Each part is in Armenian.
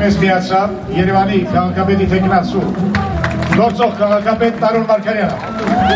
մեզ միացավ Երևանի քաղաքապետի թեկնածու գործող քաղաքապետ Տարոն Մարգարյանը։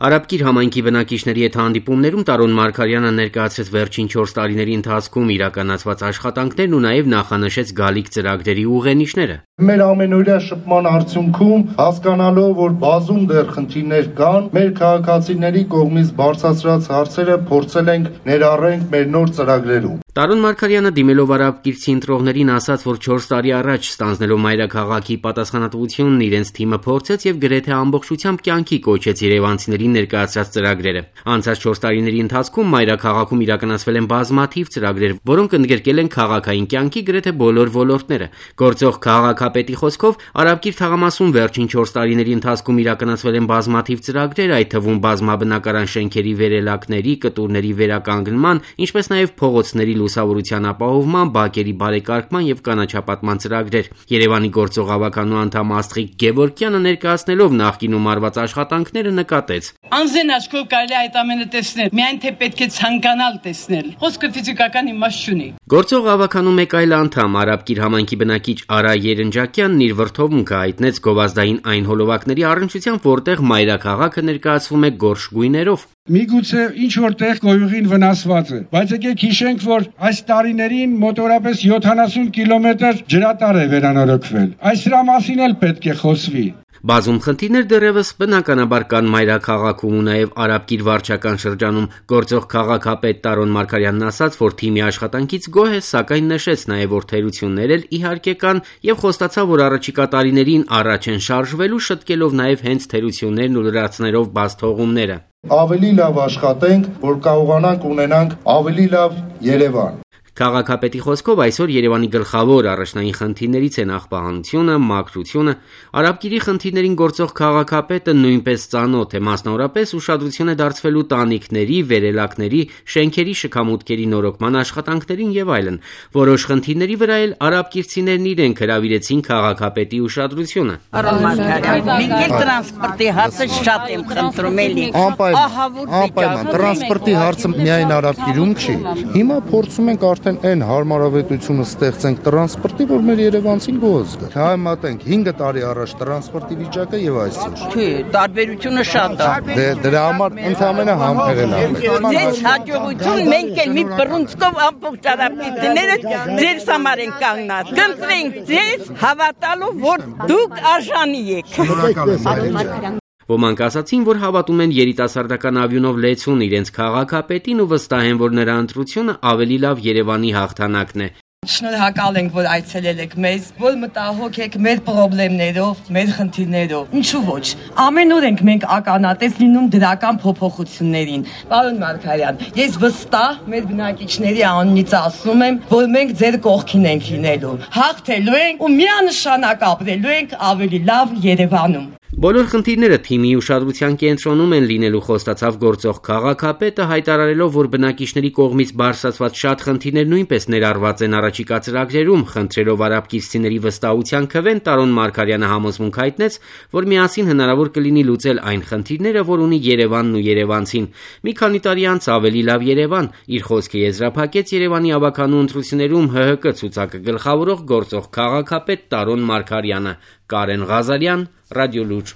Արաբկիր համայնքի բնակիչների հետ հանդիպումներում Տարոն Մարգարյանը ներկայացրեց վերջին 4 տարիների ընթացքում իրականացված աշխատանքներն ու նաև նախանշեց գալիք ծրագրերի ուղենիշները։ Մեր ամենօրյա շփման արդյունքում հասկանալով, որ բազում դեռ խնդիրներ կան, մեր քաղաքացիների կողմից բարձրացրած հարցերը փորձել ենք ներառենք մեր նոր ծրագրերում։ Տարոն Մարգարյանը դիմելով արաբկիրցի ընտրողներին ասաց, որ 4 տարի առաջ ստանձնելով մայրաքաղաքի պատասխանատվությունն իրենց թիմը փորձեց եւ գրեթե ամբողջությամբ կյանքի կոչեց երևանցիներին ներկայացրած ծրագրերը։ Անցած 4 տարիների ընթացքում մայրաքաղաքում իրականացվել են բազմաթիվ ծրագրեր, որոնք ընդգրկել են քաղաքային կյանքի գրեթե բոլոր ոլորտները։ Գործող քաղաքապետի խոսքով արաբկիր թաղամասում վերջին 4 տարիների ընթացքում իրականացվել են բազմաթիվ ծրագրեր, այդ թվում բազմաբնակարան շենքերի վերելակների, կտուրների վերականգնման, ինչպես նաև փողոցների լուսավորության ապահովման, բակերի բարեկարգման եւ կանաչապատման ծրագրեր։ Երևանի գործող ավականու անդամ Աստղիկ Գևորգյանը ներկայացնելով նախկինում արված աշխատանքները նկատեց. Անձեն աչքով կարելի այդ ամենը տեսնել, միայն թե պետք է ցանկանալ տեսնել։ Խոսքը ֆիզիկական իմաստ չունի։ Գործող ավականու մեկ այլ անդամ արաբկիր համայնքի բնակիչ Արա Երնջակյանն իր վրթովմունքը հայտնեց գովազդային այն հոլովակների առնչությամբ, որտեղ մայրաքաղաքը ներկայացվում է գորշ գույներով։ Միգուցե ինչ որտեղ գոյուղին վնասված է, բայց եկեք հիշենք, որ այս տարիներին մոտորապես 70 կիլոմետր ջրատար է վերանորոգվել։ Այս դրա մասին էլ պետք է խոսվի։ Բազում խնդիրներ դեռևս բնականաբար կան մայրաքաղաքում ու նաև արաբկիր վարչական շրջանում։ Գործող քաղաքապետ Տարոն Մարգարյանն ասաց, որ թիմի աշխատանքից գոհ է, սակայն նշեց նաև, որ թերություններ էլ իհարկե կան եւ խոստացավ, որ առաջիկա տարիներին առաջ են շարժվելու, շտկելով նաև հենց թերություններն ու լրացներով բաց թողումները։ Ավելի լավ աշխատենք, որ կարողանանք ունենանք ավելի լավ Երևան։ Քաղաքապետի խոսքով այսօր Երևանի գլխավոր առաջնային խնդիրներից են աղբահանությունը, մաքրությունը։ Արաբկիրի խնդիրներին գործող քաղաքապետը նույնպես ծանոթ է, մասնավորապես ուշադրություն է դարձվելու տանիքների, վերելակների, շենքերի շքամուտքերի նորոգման աշխատանքներին եւ այլն։ Որոշ խնդիրների վրա էլ արաբկիրցիներն իրենք հրավիրեցին քաղաքապետի ուշադրությունը։ Արոն Մարգարյան, մենք տրանսպորտի հարցը շատ եմ խնդրում էլի։ Անպայման, տրանսպորտի հարցը միայն արաբկիրում չի։ Հիմա փորձում ենք արդեն այն հարմարավետությունը ստեղծենք տրանսպորտի, որ մեր երևանցին գոհ զգա։ Համատենք 5 տարի առաջ տրանսպորտի վիճակը եւ այսօր։ Թե տարբերությունը շատ է։ Դրա համար ընդհանրապես համբերել է։ Ձեզ հաջողություն, մենք էլ մի բռունցքով ամբողջ արաբկիրները ձեր համար են կանգնած։ Կընտրենք ձեզ հավատալու, որ դուք արժանի եք։ Ոմանք ասացին, որ հավատում են երիտասարդական ավյունով լեցուն իրենց քաղաքապետին ու վստահ են, որ նրա ընտրությունը ավելի լավ Երևանի հաղթանակն է։ Շնորհակալ ենք, որ այցելել եք մեզ, որ մտահոգ եք մեր խնդիրներով, մեր խնդիրներով։ Ինչու ոչ։ Ամեն օր ենք մենք ականատես լինում դրական փոփոխություններին։ Պարոն Մարգարյան, ես վստահ մեր բնակիչների անունից ասում եմ, որ մենք ձեր կողքին ենք լինելու։ Հաղթելու ենք ու միանշանակ ապրելու ենք ավելի լավ Երևանում։ Բոլոր խնդիրները թիմի ուշադրության կենտրոնում են լինելու, խոստացավ գործող քաղաքապետը, հայտարարելով, որ բնակիչների կողմից բարձրացված շատ խնդիրներ նույնպես ներառված են առաջիկա ծրագրերում, խնդրելով արաբկիրցիների վստահության քվեն Տարոն Մարգարյանը համոզմունք հայտնեց, որ միասին հնարավոր կլինի լուծել այն խնդիրները, որ ունի Երևանն ու երևանցին։ Մի քանի տարի անց ավելի լավ Երևան, իր խոսքը եզրափակեց Երևանի ավականու ընտրություններում ՀՀԿ ցուցակը գլխավորող գործող քաղաքապետ Տարոն Մարգարյանը։ Կարեն Ղազարյան, Ռադիո Լուր։